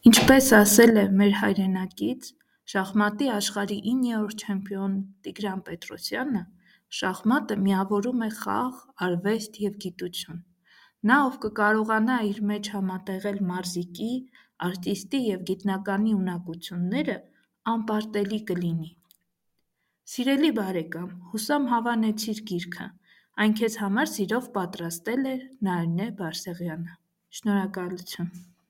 Ինչպես ասել է մեր հայրենակից, շախմատի աշխարհի 9-րդ չեմպիոն Տիգրան Պետրոսյանը, շախմատը միավորում է խաղ, արվեստ և գիտություն։ Նա, ով կկարողանա իր մեջ համատեղել մարզիկի, արտիստի և գիտնականի ունակությունները, անպարտելի կլինի։ Սիրելի բարեկամ, հուսամ հավանեցիր գիրքը, այն քեզ համար սիրով պատրաստել է Նարինե Բարսեղյանը։ Շնորհակալություն։